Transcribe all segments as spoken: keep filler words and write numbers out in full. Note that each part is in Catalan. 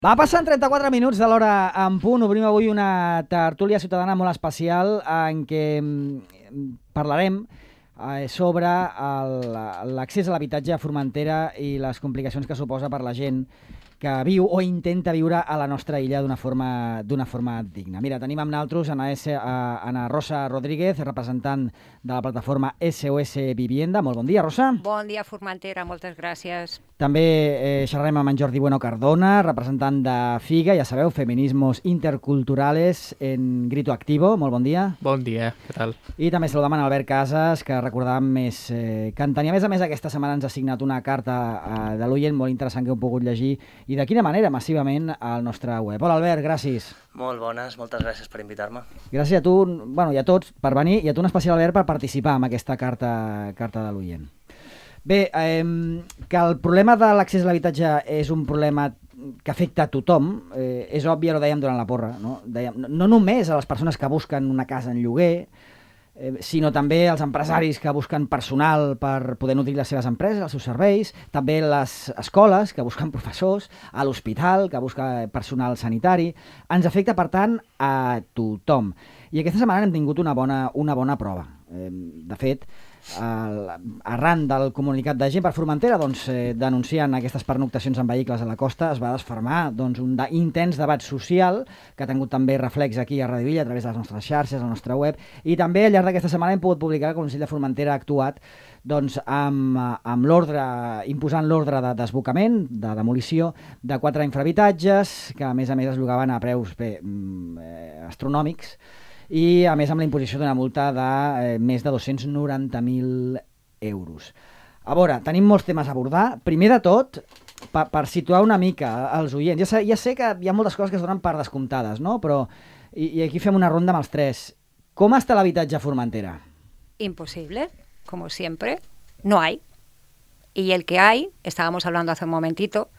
Va passant trenta-quatre minuts de l'hora en punt. Obrim avui una tertúlia ciutadana molt especial en què parlarem eh, sobre l'accés a l'habitatge a Formentera i les complicacions que suposa per la gent que viu o intenta viure a la nostra illa d'una forma, d'una forma digna. Mira, tenim amb nosaltres Ana, S, Ana Rosa Rodríguez, representant de la plataforma S O S Vivienda. Molt bon dia, Rosa. Bon dia, Formentera, moltes gràcies. També eh, xerrarem amb en Jordi Bueno Cardona, representant de FIGA, ja sabeu, Feminismos Interculturales en Grito Activo. Molt bon dia. Bon dia, què tal? I també saludem en Albert Casas, que recordàvem més eh, que en tenia. A més a més, aquesta setmana ens ha signat una carta eh, de l'oient molt interessant que heu pogut llegir i de quina manera, massivament, al nostre web. Hola, Albert, gràcies. Molt bones, moltes gràcies per invitar-me. Gràcies a tu, bueno, i a tots per venir, i a tu en especial, Albert, per participar en aquesta carta, carta de l'oient. Bé, eh, que el problema de l'accés a l'habitatge és un problema que afecta a tothom, eh, és obvi, ho dèiem durant la porra, no? Dèiem, no, no només a les persones que busquen una casa en lloguer, eh, sinó també als empresaris que busquen personal per poder nodrir les seves empreses, els seus serveis, també les escoles que busquen professors, a l'hospital que busca personal sanitari. Ens afecta, per tant, a tothom. I aquesta setmana hem tingut una bona, una bona prova. Eh, de fet, arran del comunicat de Gent per Formentera, doncs, eh, denunciant aquestes pernoctacions en vehicles a la costa, es va desfermar doncs, un de, intens debat social que ha tingut també reflex aquí a Radio Villa a través de les nostres xarxes, a la nostra web, i també al llarg d'aquesta setmana hem pogut publicar que el Consell de Formentera ha actuat doncs, amb, amb l'ordre, imposant l'ordre de desbocament, de demolició de quatre infrahabitatges que a més a més es llogaven a preus bé, eh, astronòmics, i a més amb la imposició d'una multa de eh, més de dos-cents noranta mil euros. A veure, tenim molts temes a abordar. Primer de tot, per, per situar una mica els oients, ja sé, ja sé que hi ha moltes coses que es donen per descomptades, ¿no? Però, i, i aquí fem una ronda amb els tres. Com està l'habitatge a Formentera? Imposible, como siempre, no hay. Y el que hay, estábamos hablando hace un momentito,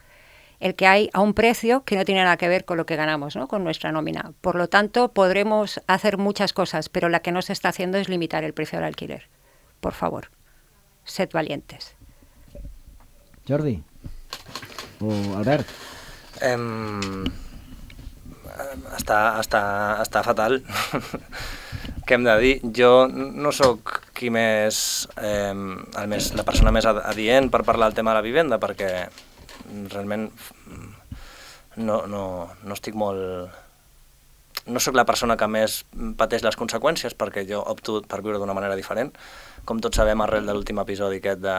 el que hay a un precio que no tiene nada que ver con lo que ganamos, ¿no? Con nuestra nómina. Por lo tanto, podremos hacer muchas cosas, pero la que no se está haciendo es limitar el precio del alquiler. Por favor, sed valientes. Jordi? O Albert? Em... Està, està, està fatal. Què hem de dir? Jo no sóc qui més, eh, el més, la persona més adient per parlar del tema de la vivenda, perquè realment no, no, no estic molt... No sóc la persona que més pateix les conseqüències, perquè jo opto per viure d'una manera diferent. Com tots sabem, arrel de l'últim episodi aquest de,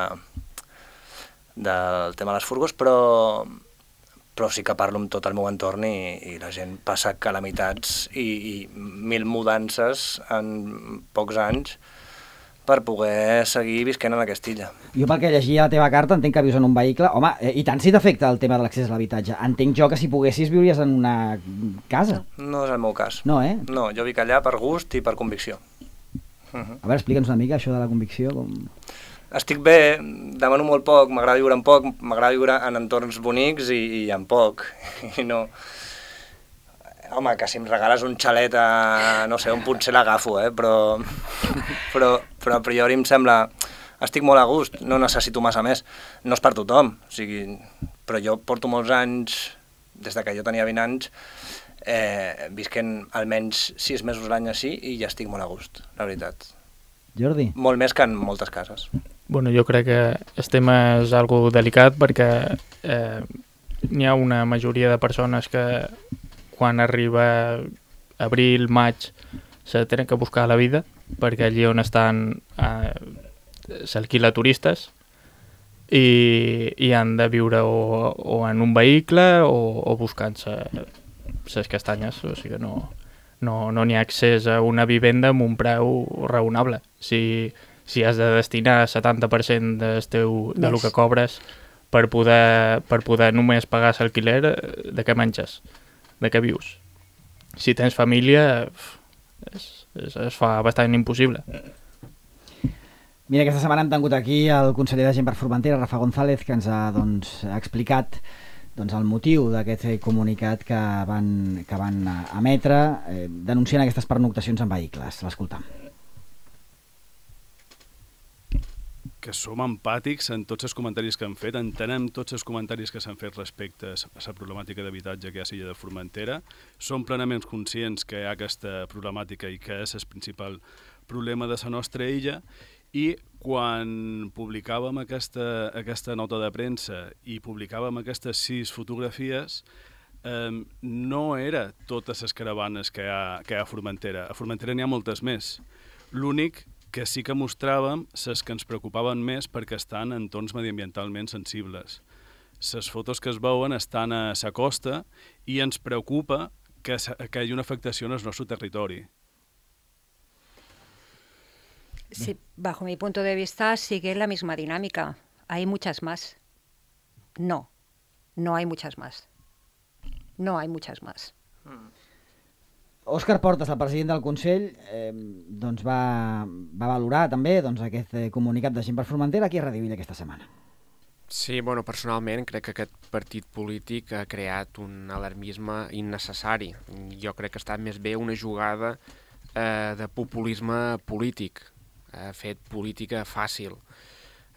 del tema de les furgos, però, però sí que parlo amb tot el meu entorn i, i la gent passa calamitats i, i mil mudances en pocs anys per poder seguir visquent en aquesta illa. Jo pel que llegia la teva carta entenc que vius en un vehicle. Home, i tant si t'afecta el tema de l'accés a l'habitatge. Entenc jo que si poguessis viuries en una casa. No és el meu cas. No, eh? No, jo vic allà per gust i per convicció. Uh -huh. A veure, explica'ns una mica això de la convicció. Com... Estic bé, demano molt poc, m'agrada viure en poc, m'agrada viure en entorns bonics i, i en poc. I no... Home, que si em regales un xalet a, no sé, un potser l'agafo, eh? però, però, però a priori em sembla... Estic molt a gust, no necessito massa més. No és per tothom, o sigui, però jo porto molts anys, des de que jo tenia vint anys, eh, visquent almenys sis mesos l'any així i ja estic molt a gust, la veritat. Jordi? Molt més que en moltes cases. Bueno, jo crec que el tema és algo delicat perquè eh, n'hi ha una majoria de persones que quan arriba abril, maig, se tenen que buscar la vida, perquè allí on estan eh, s'alquila turistes i, i han de viure o, o en un vehicle o, o buscant-se les castanyes, o sigui que no no no n'hi ha accés a una vivenda amb un preu raonable. Si, si has de destinar el setanta per cent del teu, de lo que cobres per poder, per poder només pagar l'alquiler, de què menges? De què vius? Si tens família, es, es, es fa bastant impossible. Mira, aquesta setmana hem tingut aquí el conseller de Gent per Formentera, Rafa González, que ens ha doncs, explicat doncs, el motiu d'aquest comunicat que van, que van emetre eh, denunciant aquestes pernoctacions en vehicles. L'escoltam. que som empàtics en tots els comentaris que han fet, entenem tots els comentaris que s'han fet respecte a la problemàtica d'habitatge que hi ha a l'illa de Formentera, som plenament conscients que hi ha aquesta problemàtica i que és el principal problema de la nostra illa, i quan publicàvem aquesta, aquesta nota de premsa i publicàvem aquestes sis fotografies, eh, no era totes les caravanes que hi ha, que hi ha a Formentera. A Formentera n'hi ha moltes més. L'únic que sí que mostràvem les que ens preocupaven més perquè estan en entorns mediambientalment sensibles. Les fotos que es veuen estan a la costa i ens preocupa que, que hi hagi una afectació en el nostre territori. Sí, bajo mi punto de vista sigue la misma dinámica. Hay muchas más. No, no hay muchas más. No hay muchas más. Mm. Òscar Portas, el president del Consell, eh, doncs va, va valorar també doncs, aquest eh, comunicat de Gent per Formentera aquí a Ràdio Illa aquesta setmana. Sí, bueno, personalment crec que aquest partit polític ha creat un alarmisme innecessari. Jo crec que ha estat més bé una jugada eh, de populisme polític, ha fet política fàcil.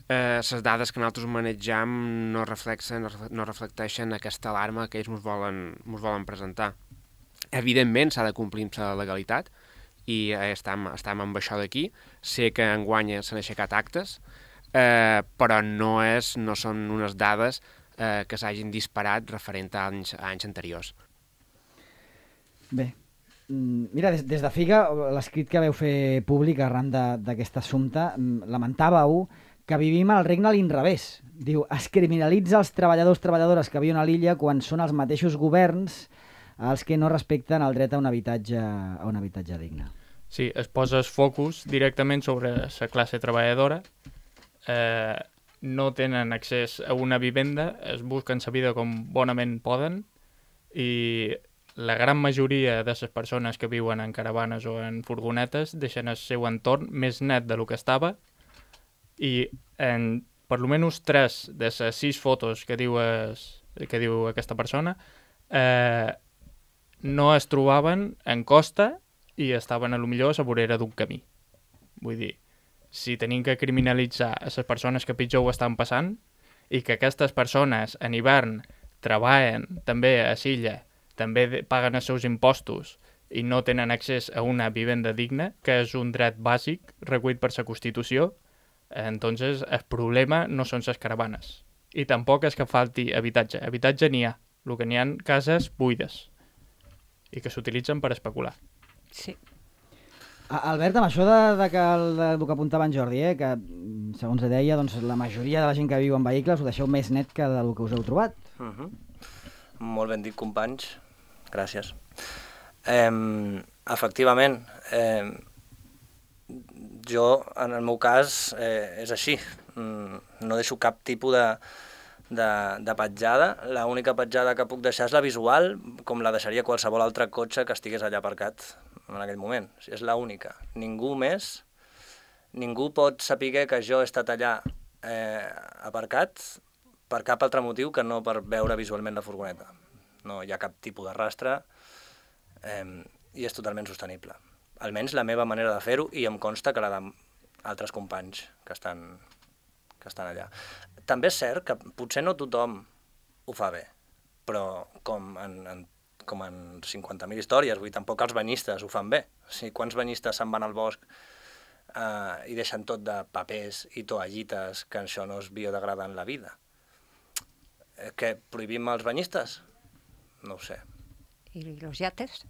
Eh, les dades que nosaltres manegem no reflexen, no reflecteixen aquesta alarma que ells ens volen, ens volen presentar. Evidentment s'ha de complir amb la legalitat i eh, estem, estem amb això d'aquí. Sé que enguany s'han aixecat actes, eh, però no, és, no són unes dades eh, que s'hagin disparat referent a anys, a anys anteriors. Bé, mira, des, des de Figa, l'escrit que veu fer públic arran d'aquest assumpte, lamentàveu que vivim al regne a l'inrevés. Diu, es criminalitza els treballadors treballadores que viuen a l'illa quan són els mateixos governs els que no respecten el dret a un habitatge, a un habitatge digne. Sí, es posa el focus directament sobre la classe treballadora, eh, no tenen accés a una vivenda, es busquen la vida com bonament poden i la gran majoria de les persones que viuen en caravanes o en furgonetes deixen el seu entorn més net de lo que estava i en per almenys tres de les sis fotos que diu, es, que diu aquesta persona eh, no es trobaven en costa i estaven a lo millor a la vorera d'un camí. Vull dir, si tenim que criminalitzar a les persones que pitjor ho estan passant i que aquestes persones en hivern treballen també a l'illa, també paguen els seus impostos i no tenen accés a una vivenda digna, que és un dret bàsic recollit per la Constitució, entonces el problema no són les caravanes. I tampoc és que falti habitatge. Habitatge n'hi ha. El que n'hi ha cases buides i que s'utilitzen per especular. Sí. Albert, amb això de, de que el, de, el que apuntava en Jordi, eh, que segons deia, doncs, la majoria de la gent que viu en vehicles ho deixeu més net que del que us heu trobat. Uh -huh. Molt ben dit, companys. Gràcies. Eh, efectivament, eh, jo, en el meu cas, eh, és així. No deixo cap tipus de, de, de petjada. L'única petjada que puc deixar és la visual, com la deixaria qualsevol altre cotxe que estigués allà aparcat en aquell moment. És l'única. Ningú més, ningú pot saber que jo he estat allà eh, aparcat per cap altre motiu que no per veure visualment la furgoneta. No hi ha cap tipus de rastre eh, i és totalment sostenible. Almenys la meva manera de fer-ho i em consta que la d'altres companys que estan, que estan allà. També és cert que potser no tothom ho fa bé, però com en, en, com en cinquanta mil històries, vull dir, tampoc els banyistes ho fan bé. O sigui, quants banyistes se'n van al bosc eh, i deixen tot de papers i toallites, que això no es biodegrada en la vida? Eh, què, prohibim els banyistes? No ho sé. ¿Y los yates?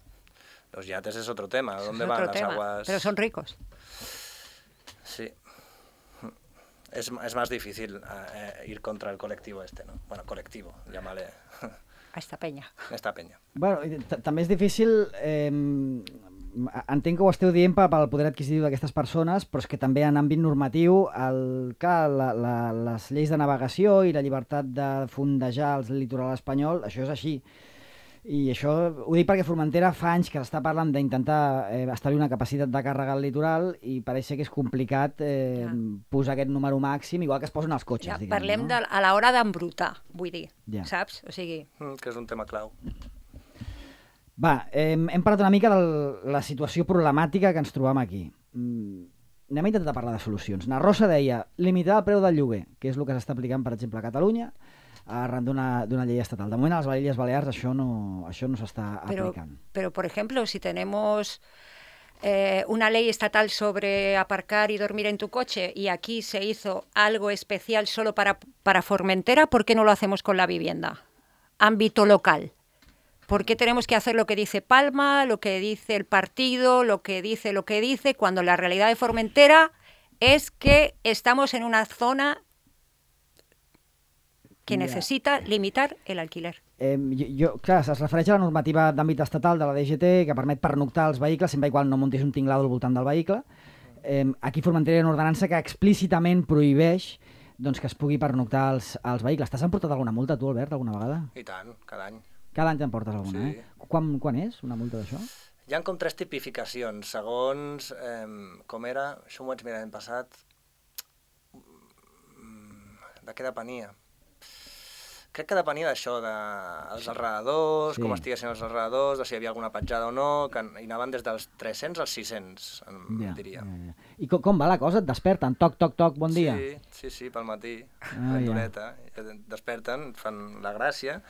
Los yates es otro tema. ¿Dónde es van otro las tema, aguas? pero son ricos. Sí. Es, es más difícil eh, ir contra el colectivo este, ¿no? Bueno, colectivo, llámale. A esta peña. A esta peña. Bueno, també és difícil... Eh, entenc que ho esteu dient pel poder adquisitiu d'aquestes persones, però és que també en àmbit normatiu, el, clar, la, la, les lleis de navegació i la llibertat de fondejar el litoral espanyol, això és així. I això ho dic perquè Formentera fa anys que s'està parlant d'intentar eh, establir una capacitat de càrrega al litoral i pareix que és complicat eh, ja. posar aquest número màxim, igual que es posen els cotxes. Ja, diguem, parlem no? de, a l'hora d'embrutar, vull dir, ja. saps? O sigui... Mm, que és un tema clau. Va, eh, hem parlat una mica de la situació problemàtica que ens trobam aquí. Mm, anem a intentar parlar de solucions. Na Rosa deia limitar el preu del lloguer, que és el que s'està aplicant, per exemple, a Catalunya, arran d'una llei estatal. De moment, a les Illes Balears això no, això no s'està aplicant. Pero, por ejemplo, si tenemos eh, una ley estatal sobre aparcar y dormir en tu coche y aquí se hizo algo especial solo para, para Formentera, ¿por qué no lo hacemos con la vivienda? Ámbito local. ¿Por qué tenemos que hacer lo que dice Palma, lo que dice el partido, lo que dice lo que dice, cuando la realidad de Formentera es que estamos en una zona que Ja. necesita limitar el alquiler? Eh, jo, jo, clar, es refereix a la normativa d'àmbit estatal de la D G T que permet pernoctar els vehicles sempre i quan no muntis un tinglado al voltant del vehicle. Eh, aquí a Formentera hi ha una ordenança que explícitament prohibeix doncs, que es pugui pernoctar els, els vehicles. T'has emportat alguna multa tu, Albert, alguna vegada? I tant, cada any. Cada any t'emportes alguna, Sí. eh? Quan, quan és una multa d'això? Hi ha com tres tipificacions, segons eh, com era, això m'ho vaig mirar l'any passat, mm, de què depenia? Crec que depenia d'això, dels de alrededors, Sí. com estiguessin els alrededors, de si hi havia alguna petjada o no, que hi anaven des dels tres-cents als sis-cents, em Ja, diria. ja, ja. I com, com va la cosa? Et desperten? Toc, toc, toc, bon dia? Sí, sí, sí, pel matí, Ah, ben ja. d'horeta, desperten, fan la gràcia,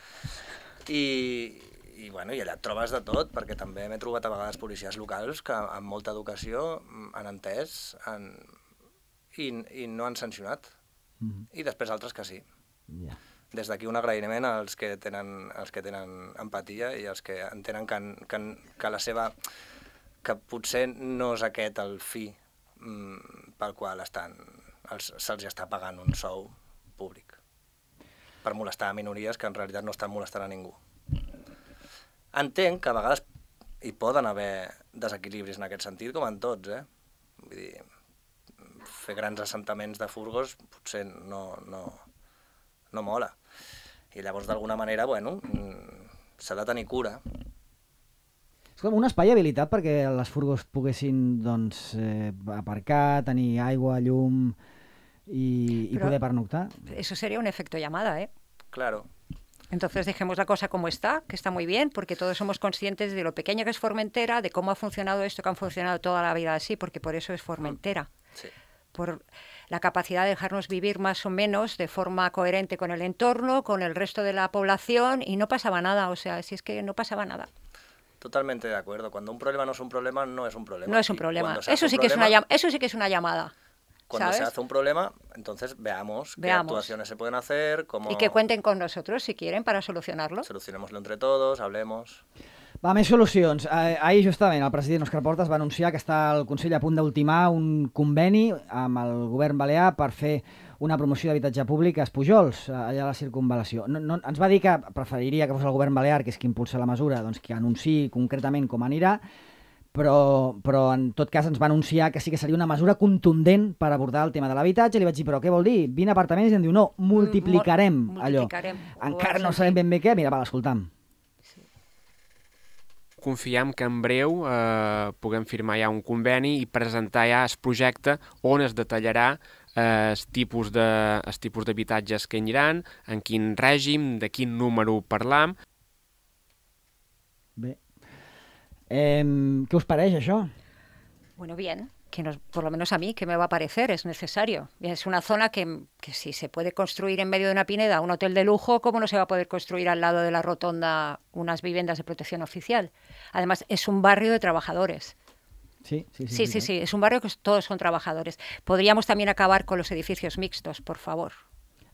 i, i, bueno, i allà et trobes de tot, perquè també m'he trobat a vegades policies locals que amb molta educació han entès han, i, i no han sancionat, Mhm. i després altres que sí. Ja. Des d'aquí un agraïment als que tenen, als que tenen empatia i als que entenen que, que, que la seva... que potser no és aquest el fi mm, pel qual estan, els, se'ls està pagant un sou públic per molestar a minories que en realitat no estan molestant a ningú. Entenc que a vegades hi poden haver desequilibris en aquest sentit, com en tots, eh? Vull dir, fer grans assentaments de furgos potser no, no, no mola. I llavors, d'alguna manera, bueno, s'ha de tenir cura. És com un espai habilitat perquè les furgos poguessin doncs, eh, aparcar, tenir aigua, llum i, i Però- poder pernoctar. Eso sería un efecto llamada, ¿eh? Claro. Entonces dejemos la cosa como está, que está muy bien, porque todos somos conscientes de lo pequeña que es Formentera, de cómo ha funcionado esto, que han funcionado toda la vida así, porque por eso es Formentera. Sí. Por la capacidad de dejarnos vivir más o menos de forma coherente con el entorno, con el resto de la población, y no pasaba nada, o sea, si es que no pasaba nada. Totalmente de acuerdo. Cuando un problema no es un problema, no es un problema. No es un Y problema. cuando se hace Eso un sí, que es una, problema- llam- eso sí que es una llamada. Cuando se ¿sabes? hace un problema, entonces veamos, qué Veamos. actuaciones se pueden hacer, cómo Y que cuenten con nosotros si quieren para solucionarlo. solucionémoslo entre todos, hablemos. Va, més solucions. Eh, ahir, justament, el president Òscar Portas va anunciar que està el Consell a punt d'ultimar un conveni amb el govern balear per fer una promoció d'habitatge públic a Espujols, allà a la circunvalació. No, no, ens va dir que preferiria que fos el govern balear, que és qui impulsa la mesura, doncs que anunciï concretament com anirà, però, però en tot cas ens va anunciar que sí que seria una mesura contundent per abordar el tema de l'habitatge. Li vaig dir, però què vol dir? vint apartaments? I em diu, no, multiplicarem Mul- allò. multiplicarem. Encara Ho no vas sabem sentir. ben bé què. Mira, va, l'escoltam. Confiem que en breu eh, puguem firmar ja un conveni i presentar ja el projecte on es detallarà eh, el tipus de, els tipus d'habitatges que hi aniran, en quin règim, de quin número parlam. Bé. Eh, què us pareix, això? Bueno, bien, que nos, por lo menos a mí, que me va a parecer, es necesario. Es una zona que, que si se puede construir en medio de una pineda un hotel de lujo, ¿cómo no se va a poder construir al lado de la rotonda unas viviendas de protección oficial? Además, es un barrio de trabajadores. Sí, sí, sí. Sí, sí, sí, es un barrio que todos son trabajadores. Podríamos también acabar con los edificios mixtos, por favor.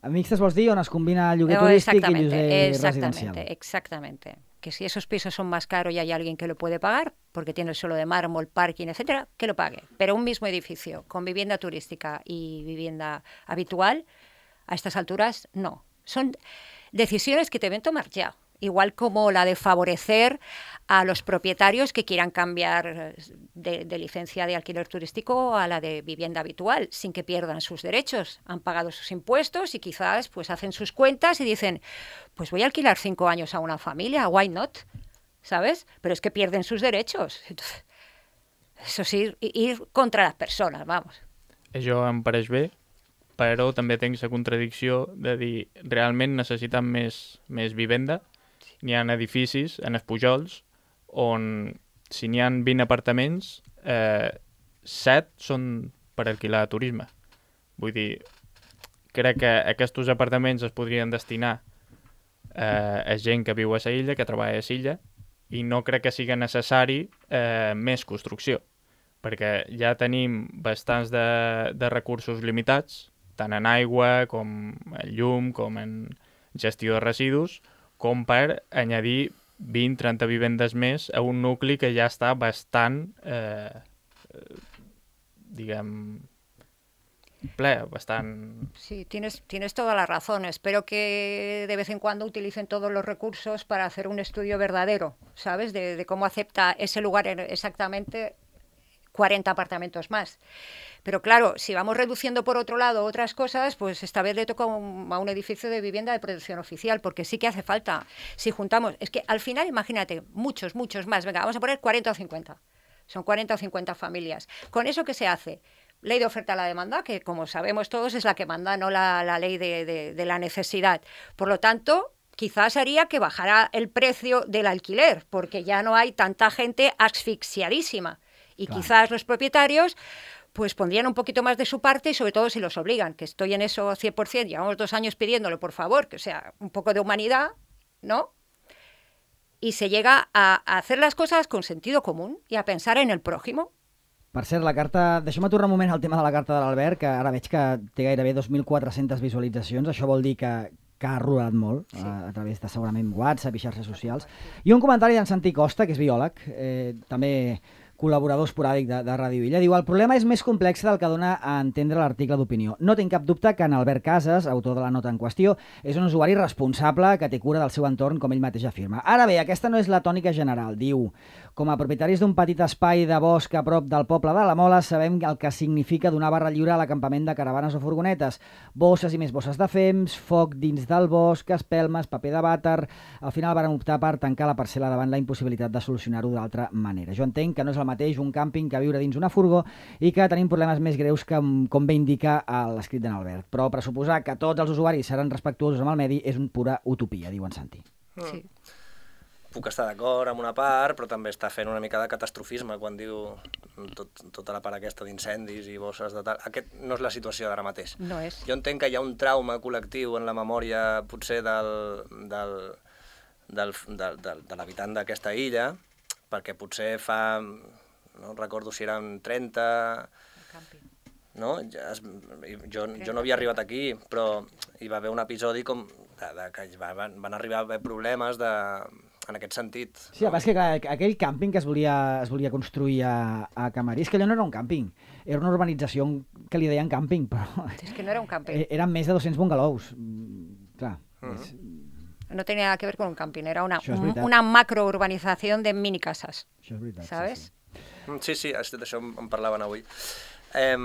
A mixtes vols dir on es combina el lloguer Eh, turístic i exactamente, lloguer exactamente, residencial? exactamente. Que si esos pisos son más caros y hay alguien que lo puede pagar, porque tiene el suelo de mármol, parking, etcétera, que lo pague. Pero un mismo edificio con vivienda turística y vivienda habitual, a estas alturas, no. Son decisiones que deben tomar ya. Igual como la de favorecer a los propietarios que quieran cambiar de, de licencia de alquiler turístico a la de vivienda habitual, sin que pierdan sus derechos. Han pagado sus impuestos y quizás pues hacen sus cuentas y dicen, pues voy a alquilar cinco años a una familia, why not? ¿Sabes? Pero es que pierden sus derechos. Entonces, eso sí, ir contra las personas, vamos. Això em pareix bé, però també tinc la contradicció de dir realment necessitem més, més vivenda. N'hi ha edificis en Espujols on si n'hi ha vint apartaments, eh, set són per alquilar turisme. Vull dir, crec que aquests apartaments es podrien destinar eh, a gent que viu a la illa, que treballa a la illa, i no crec que sigui necessari eh, més construcció, perquè ja tenim bastants de, de recursos limitats, tant en aigua, com en llum, com en gestió de residus, com per añadir vint a trenta vivendes més a un nucli que ja està bastant, eh, eh, diguem, ple, bastant... Sí, tienes, tienes toda la razón. Espero que de vez en cuando utilicen todos los recursos para hacer un estudio verdadero, ¿sabes? De, de cómo acepta ese lugar exactamente cuarenta apartamentos más. Pero claro, si vamos reduciendo por otro lado otras cosas, pues esta vez le toca un, a un edificio de vivienda de protección oficial, porque sí que hace falta. Si juntamos, es que al final, imagínate, muchos, muchos más. Venga, vamos a poner cuarenta o cincuenta. Son cuarenta o cincuenta familias. ¿Con eso qué se hace? Ley de oferta a la demanda, que como sabemos todos es la que manda, no la, la ley de, de, de la necesidad. Por lo tanto, quizás haría que bajara el precio del alquiler, porque ya no hay tanta gente asfixiadísima. Y claro, quizás los propietarios pues pondrían un poquito más de su parte, y sobre todo si los obligan, que estoy en eso cien por ciento, llevamos dos años pidiéndolo, por favor, que sea un poco de humanidad, ¿no? Y se llega a, a hacer las cosas con sentido común y a pensar en el prójimo. Per cert, la carta... Deixa'm aturar un moment al tema de la carta de l'Albert, que ara veig que té gairebé dos mil quatre-centes visualitzacions. Això vol dir que, que ha rodat molt, sí, a, a través de segurament WhatsApp i xarxes socials. I un comentari d'en Santi Costa, que és biòleg, eh, també col·laborador esporàdic de, de Ràdio Illa. Diu, el problema és més complex del que dona a entendre l'article d'opinió. No tinc cap dubte que en Albert Casas, autor de la nota en qüestió, és un usuari responsable que té cura del seu entorn, com ell mateix afirma. Ara bé, aquesta no és la tònica general. Diu, com a propietaris d'un petit espai de bosc a prop del poble de la Mola, sabem el que significa donar barra lliure a l'acampament de caravanes o furgonetes. Bosses i més bosses de fems, foc dins del bosc, espelmes, paper de vàter... Al final varen optar per tancar la parcel·la davant la impossibilitat de solucionar-ho d'altra manera. Jo entenc que no és el mateix un càmping que viure dins una furgó i que tenim problemes més greus que, com bé indica l'escrit d'en Albert. Però pressuposar que tots els usuaris seran respectuosos amb el medi és una pura utopia, diu en Santi. Sí. Puc estar d'acord amb una part, però també està fent una mica de catastrofisme quan diu tot, tota la part aquesta d'incendis i bosses de tal. Aquest no és la situació d'ara mateix. No és. Jo entenc que hi ha un trauma col·lectiu en la memòria potser del, del, del, del, del, de l'habitant d'aquesta illa, perquè potser fa, no recordo si eren trenta... No? Ja es, jo, jo no havia arribat aquí, però hi va haver un episodi com de, de, que van, van arribar a haver problemes de, en aquest sentit. Sí, el que és que clar, aquell càmping que es volia, es volia construir a, a Camarís, que allò no era un càmping, era una urbanització que li deien càmping, però... És que no era un càmping. Eren més de dos-cents bungalows, clar. Uh-huh. És... No tenía nada que ver con un camping, era una, un, una macrourbanización de mini casas. Això és veritat. ¿Sabes? Sí, sí, sí, d'això en parlaven avui. Eh,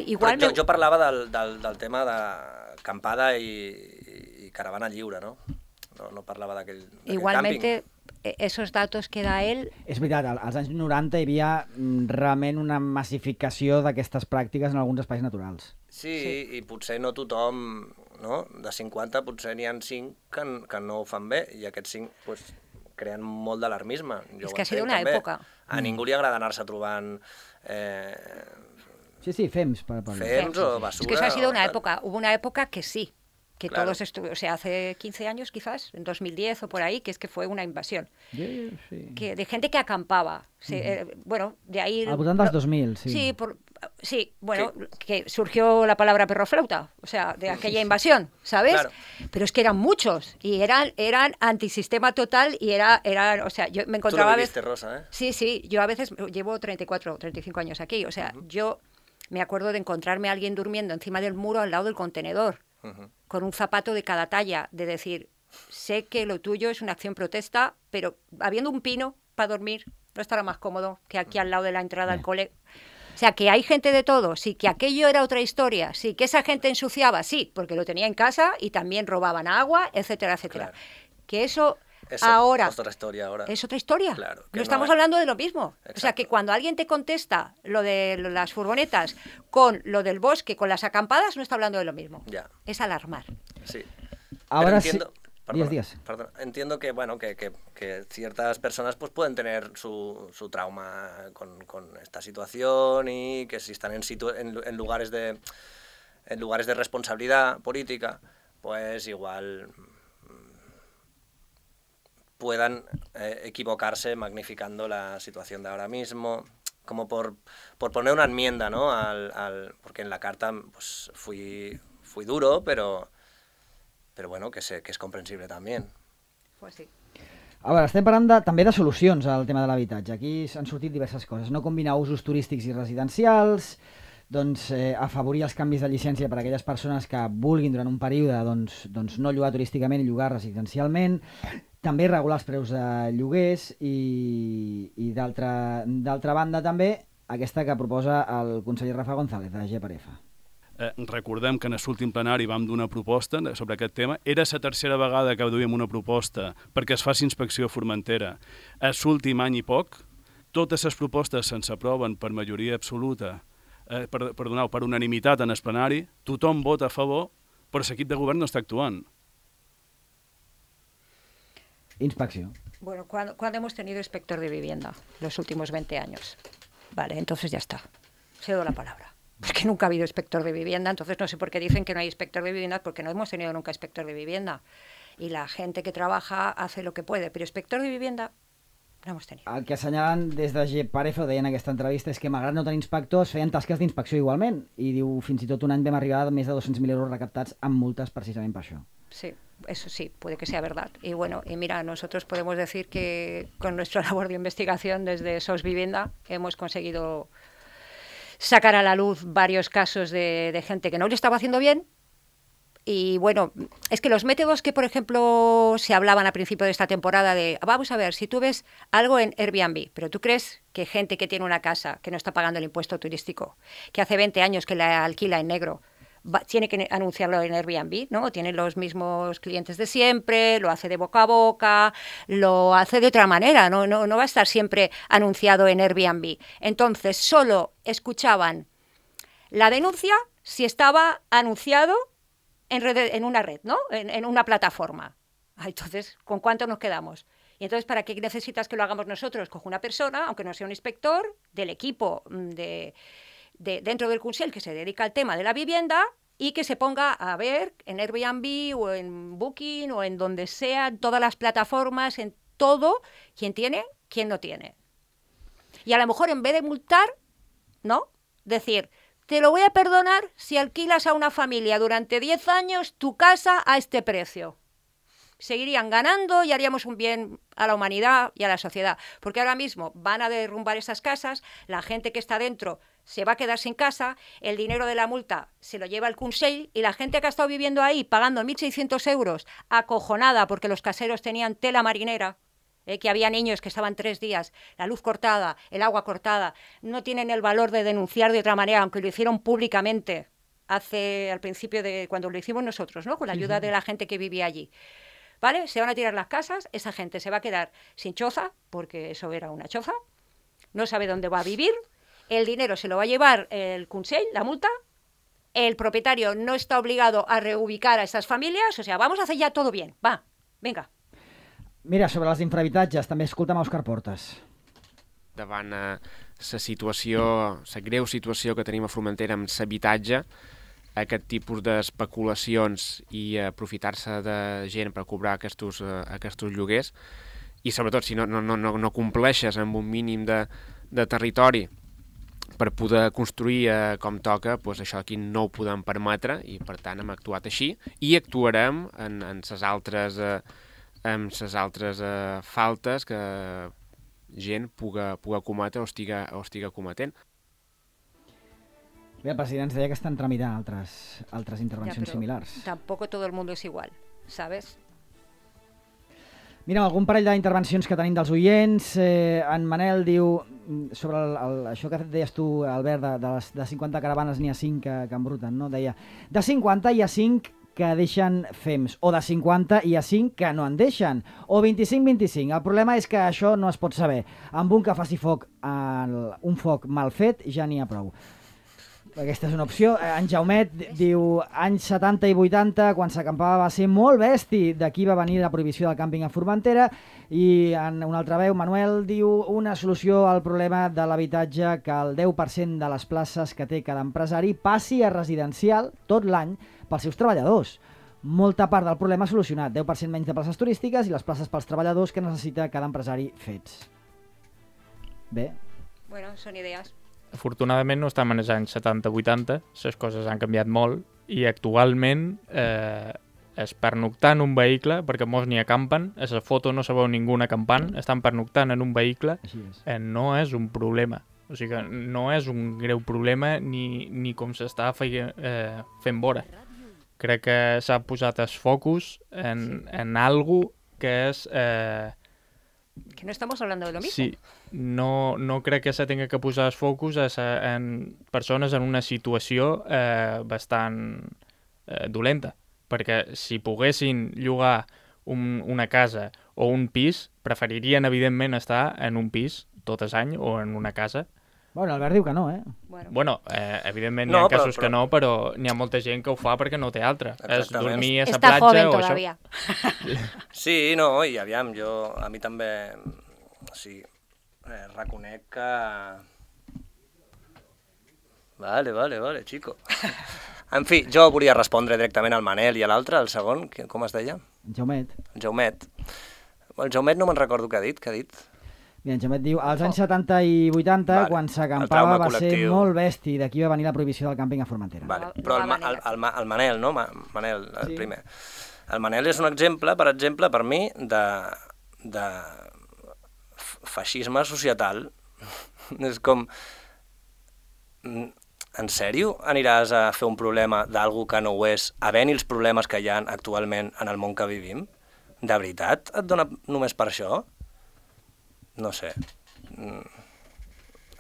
Igual jo, me... jo parlava del, del, del tema d'acampada i, i caravana lliure, no? No, no parlava d'aquell càmping. Igualmente, esos datos que da él... És veritat, als anys noranta hi havia realment una massificació d'aquestes pràctiques en alguns espais naturals. Sí, sí, i potser no tothom, no? De cinquanta potser n'hi ha cinc que, que no ho fan bé, i aquests cinc pues, creen molt d'alarmisme. És que ha sido una també. època. A ningú li agrada anar-se trobant... Eh, Sí, sí, fems. Per, per... Fems o basura. Es que eso ha sido una época, hubo una época que sí, que claro. todos estuvieron, o sea, hace quince años quizás, en dos mil diez o por ahí, que es que fue una invasión. Sí, sí. Que, de gente que acampaba. Sí, uh-huh. eh, bueno, de ahí... Al voltant dels dos mil, sí. Sí, por, sí bueno, ¿Qué? que surgió la palabra perroflauta, o sea, de aquella invasión, ¿sabes? Claro. Pero es que eran muchos, y eran, eran antisistema total, y era, era, o sea, yo me encontraba... Tú lo viviste, Rosa, ¿eh? Sí, sí, yo a veces llevo treinta y cuatro, treinta y cinco años aquí, o sea, uh-huh. yo... Me acuerdo de encontrarme a alguien durmiendo encima del muro al lado del contenedor, uh-huh. con un zapato de cada talla, de decir, sé que lo tuyo es una acción protesta, pero habiendo un pino para dormir, no estará más cómodo que aquí al lado de la entrada al cole. O sea, que hay gente de todo, sí, que aquello era otra historia, sí, que esa gente ensuciaba, sí, porque lo tenía en casa y también robaban agua, etcétera, etcétera. Claro. Que eso... Eso, ahora, otra historia ahora. Es otra historia. Claro, no estamos no hablando de lo mismo. Exacto. O sea, que cuando alguien te contesta lo de las furgonetas con lo del bosque, con las acampadas, no está hablando de lo mismo. Ya. Es alarmar. Sí. Ahora entiendo... sí... Días, días. Perdón, entiendo que, bueno, que, que, que ciertas personas pues, pueden tener su, su trauma con, con esta situación y que si están en, situ en, en, lugares de, en lugares de responsabilidad política, pues igual puedan eh, equivocarse magnificando la situación de ahora mismo, como por, por poner una enmienda, ¿no? Al, al, porque en la carta pues, fui, fui duro, pero... però bueno, que, sé, que és comprensible també. Pues sí. A veure, estem parlant de, també de solucions al tema de l'habitatge. Aquí han sortit diverses coses. No combinar usos turístics i residencials, doncs, eh, afavorir els canvis de llicència per a aquelles persones que vulguin durant un període doncs, doncs no llogar turísticament i llogar residencialment, també regular els preus de lloguers i, i d'altra banda també aquesta que proposa el conseller Rafa González de G per F. Eh, recordem que en l'últim plenari vam donar una proposta sobre aquest tema. Era la tercera vegada que duíem una proposta perquè es faci inspecció a Formentera. A l'últim any i poc, totes les propostes se'ns aproven per majoria absoluta, eh, per, perdoneu, per unanimitat en el plenari, tothom vota a favor, però l'equip de govern no està actuant. Inspecció. Bueno, cuando, cuando hemos tenido inspector de vivienda los últimos veinte años. Vale, entonces ya está. Cedo la palabra. Porque nunca ha habido inspector de vivienda, entonces no sé por qué dicen que no hay inspector de vivienda, porque no hemos tenido nunca inspector de vivienda. Y la gente que trabaja hace lo que puede, pero inspector de vivienda no hemos tenido. El que assenyalen des de G per F, deien en aquesta entrevista, és que malgrat no tenir inspectors, feien tasques d'inspecció igualment. I diu, fins i tot un any vam arribar a més de dos-cents mil euros recaptats amb multes precisament per això. Sí, eso sí, puede que sea verdad. Y bueno, y mira, nosotros podemos decir que con nuestra labor de investigación desde SOS Vivienda hemos conseguido sacar a la luz varios casos de, de gente que no lo estaba haciendo bien. Y bueno, es que los métodos que, por ejemplo, se hablaban a principio de esta temporada de, vamos a ver, si tú ves algo en Airbnb, pero tú crees que gente que tiene una casa que no está pagando el impuesto turístico, que hace veinte años que la alquila en negro, va, tiene que anunciarlo en Airbnb, ¿no? Tiene los mismos clientes de siempre, lo hace de boca a boca, lo hace de otra manera, no, no, no va a estar siempre anunciado en Airbnb. Entonces, solo escuchaban la denuncia si estaba anunciado en, red, en una red, ¿no? En, en una plataforma. Entonces, ¿con cuánto nos quedamos? Y entonces, ¿para qué necesitas que lo hagamos nosotros? Coge una persona, aunque no sea un inspector, del equipo de... De, dentro del Consell que se dedica al tema de la vivienda y que se ponga a ver en Airbnb o en Booking o en donde sea, en todas las plataformas, en todo, quién tiene, quién no tiene. Y a lo mejor en vez de multar, ¿no? Decir, te lo voy a perdonar si alquilas a una familia durante diez años tu casa a este precio. Seguirían ganando y haríamos un bien a la humanidad y a la sociedad. Porque ahora mismo van a derrumbar esas casas, la gente que está dentro se va a quedar sin casa, el dinero de la multa se lo lleva el Consell y la gente que ha estado viviendo ahí pagando mil seiscientos euros, acojonada porque los caseros tenían tela marinera, eh, que había niños que estaban tres días, la luz cortada, el agua cortada, no tienen el valor de denunciar de otra manera, aunque lo hicieron públicamente hace al principio de cuando lo hicimos nosotros, ¿no? Con la ayuda de la gente que vivía allí. ¿Vale? Se van a tirar las casas, esa gente se va a quedar sin choza, porque eso era una choza, no sabe dónde va a vivir, el dinero se lo va a llevar el Consell, la multa, el propietario no está obligado a reubicar a estas familias, o sea, vamos a hacer ya todo bien, va, venga. Mira, sobre els infrahabitatges, també escolta'm Òscar Portes. Davant la situació, la greu situació que tenim a Formentera amb l'habitatge, aquest tipus d'especulacions i aprofitar-se de gent per cobrar aquests, aquests lloguers i sobretot si no, no, no, no compleixes amb un mínim de, de territori per poder construir eh, com toca, doncs això aquí no ho podem permetre i per tant hem actuat així i actuarem en, en ses altres, eh, en ses altres eh, faltes que gent puga, puga cometre o estiga, o estiga cometent. Bé, el president ens deia que estan tramitant altres, altres intervencions ja, similars. Tampoco todo el mundo es igual, ¿sabes? Mira, algun parell d'intervencions que tenim dels oients. Eh, en Manel diu, sobre el, el, això que deies tu, Albert, de, de, les, de cinquanta caravanes n'hi ha cinc que, que embruten, no? Deia, de cinquanta hi ha cinc que deixen fems, o de cinquanta hi ha cinc que no en deixen, o vint-i-cinc vint-i-cinc. El problema és que això no es pot saber. Amb un que faci foc, el, un foc mal fet, ja n'hi ha prou. Aquesta és una opció. En Jaumet diu, anys setanta i vuitanta, quan s'acampava va ser molt besti, d'aquí va venir la prohibició del càmping a Formentera, i en una altra veu, Manuel diu, una solució al problema de l'habitatge, que el deu per cent de les places que té cada empresari passi a residencial tot l'any pels seus treballadors. Molta part del problema solucionat, deu per cent menys de places turístiques i les places pels treballadors que necessita cada empresari fets. Bé. Bueno, són idees. Afortunadament no estem en els anys setanta vuitanta, les coses han canviat molt i actualment eh, és pernoctar en un vehicle, perquè molts n'hi acampen, a la foto no se veu ningú acampant, estan pernoctant en un vehicle, eh, no és un problema. O sigui que no és un greu problema ni, ni com s'està feia, eh, fent vora. Crec que s'ha posat el focus en, en algo que és... Eh, que no estamos hablando de lo mismo. Sí, no, no crec que se tenga que posar el focus a sa, en persones en una situació eh, bastant eh, dolenta, perquè si poguessin llogar un, una casa o un pis, preferirien evidentment estar en un pis tot el any o en una casa. Bueno, Albert diu que no, eh? Bueno, bueno eh, evidentment no, hi ha però, casos però... que no, però n'hi ha molta gent que ho fa perquè no té altra. Exactament. És dormir a la Està platja joven o todavía. això. Sí, no, i aviam, jo, a mi també, sí, eh, reconec que... Vale, vale, vale, chico. En fi, jo volia respondre directament al Manel i a l'altre, el segon, que, com es deia? Jaumet. El Jaumet. El Jaumet no me'n recordo què ha dit, què ha dit? Mira, en Jaumet diu, als anys setanta i vuitanta, Vale. quan El s'acampava trauma va ser col·lectiu. molt besti, d'aquí va venir la prohibició del càmping a Formentera. Vale. No, Però no el, va Ma- el, venir. el, Ma- el Manel, no? Ma- Manel, el Sí. primer. El Manel és un exemple, per exemple, per mi, de, de f- feixisme societal. És com... En sèrio aniràs a fer un problema d'algú que no ho és, havent-hi els problemes que hi ha actualment en el món que vivim? De veritat et dona només per això? No sé. Mm,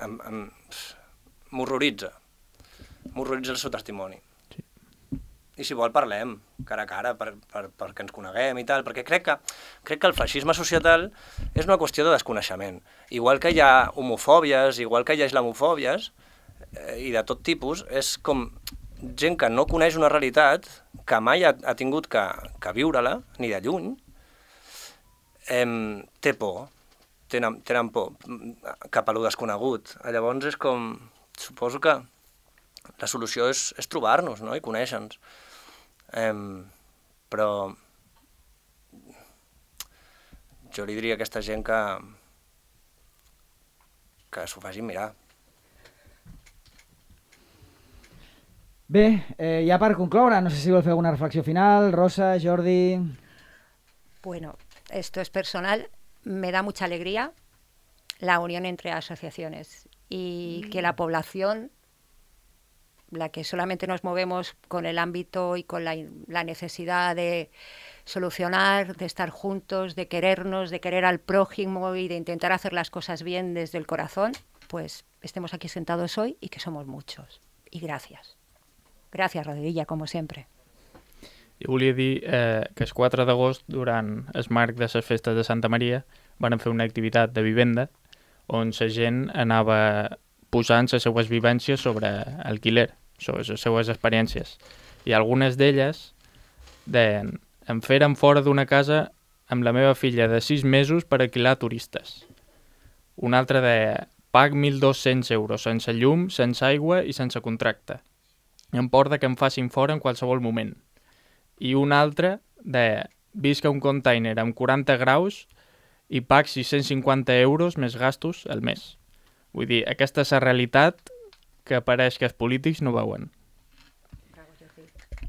em, em, m'horroritza. M'horroritza el seu testimoni. Sí. I si vol parlem, cara a cara, per, per, perquè ens coneguem i tal, perquè crec que, crec que el feixisme societal és una qüestió de desconeixement. Igual que hi ha homofòbies, igual que hi ha islamofòbies, eh, i de tot tipus, és com gent que no coneix una realitat, que mai ha, ha tingut que, que viure-la, ni de lluny, eh, té por, tenen, tenen por cap a lo desconegut. Llavors és com, suposo que la solució és, és trobar-nos, no?, i conèixer-nos. Eh, però jo li diria a aquesta gent que que s'ho facin mirar. Bé, eh, ja per concloure, no sé si vol fer alguna reflexió final, Rosa, Jordi... Bueno, esto es personal. Me da mucha alegría la unión entre asociaciones y que la población, la que solamente nos movemos con el ámbito y con la, la necesidad de solucionar, de estar juntos, de querernos, de querer al prójimo y de intentar hacer las cosas bien desde el corazón, pues estemos aquí sentados hoy y que somos muchos. Y gracias. Gracias, Rodriguilla, como sempre. Jo volia dir eh, que el quatre d'agost, durant el marc de les festes de Santa Maria, van fer una activitat de vivenda on la gent anava posant les seues vivències sobre alquiler, sobre les seues experiències. I algunes d'elles deien, em feren fora d'una casa amb la meva filla de sis mesos per alquilar turistes. Una altra deia, pag mil dos-cents euros sense llum, sense aigua i sense contracte. Em porta que em facin fora en qualsevol moment. I un altre deia, visc a un container amb quaranta graus i pag sis-cents cinquanta euros més gastos al mes. Vull dir, aquesta és la realitat que pareix que els polítics no veuen.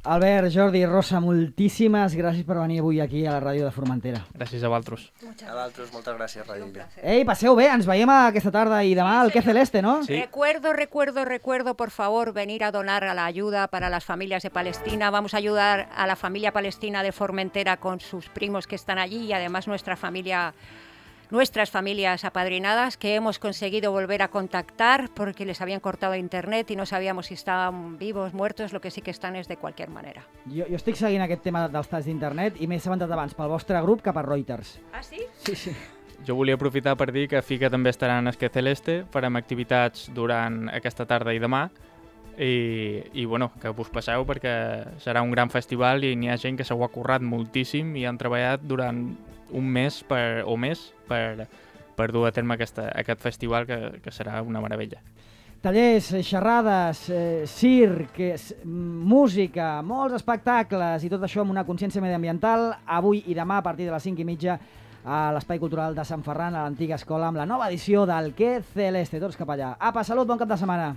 Albert, Jordi, Rosa, moltíssimes gràcies per venir avui aquí a la ràdio de Formentera. Gràcies a vosaltres. A vosaltres, moltes gràcies, Radilla. Ei, passeu bé, ens veiem aquesta tarda i demà al Que Celeste, ¿no? Sí. Recuerdo, recuerdo, recuerdo, por favor, venir a donar a la ayuda para las familias de Palestina. Vamos a ayudar a la familia palestina de Formentera con sus primos que están allí y además nuestra familia, nuestras familias apadrinadas que hemos conseguido volver a contactar porque les habían cortado internet y no sabíamos si estaban vivos, muertos, lo que sí que están es de cualquier manera. Jo, jo estic seguint aquest tema dels talls d'internet i m'he assabentat abans pel vostre grup que per Reuters. ¿Ah, sí? Sí, sí. Jo volia aprofitar per dir que Fica també estarà en el Que Celeste, farem activitats durant aquesta tarda i demà i, i bueno, que us passeu perquè serà un gran festival i n'hi ha gent que s'ho ha currat moltíssim i han treballat durant un mes per, o més per, per dur a terme aquesta, aquest festival que, que serà una meravella. Tallers, xerrades, eh, circ, eh, música, molts espectacles i tot això amb una consciència mediambiental avui i demà a partir de les cinc i mitja a l'Espai Cultural de Sant Ferran, a l'antiga escola, amb la nova edició del Que Celeste. Tots cap allà. Apa, salut, bon cap de setmana.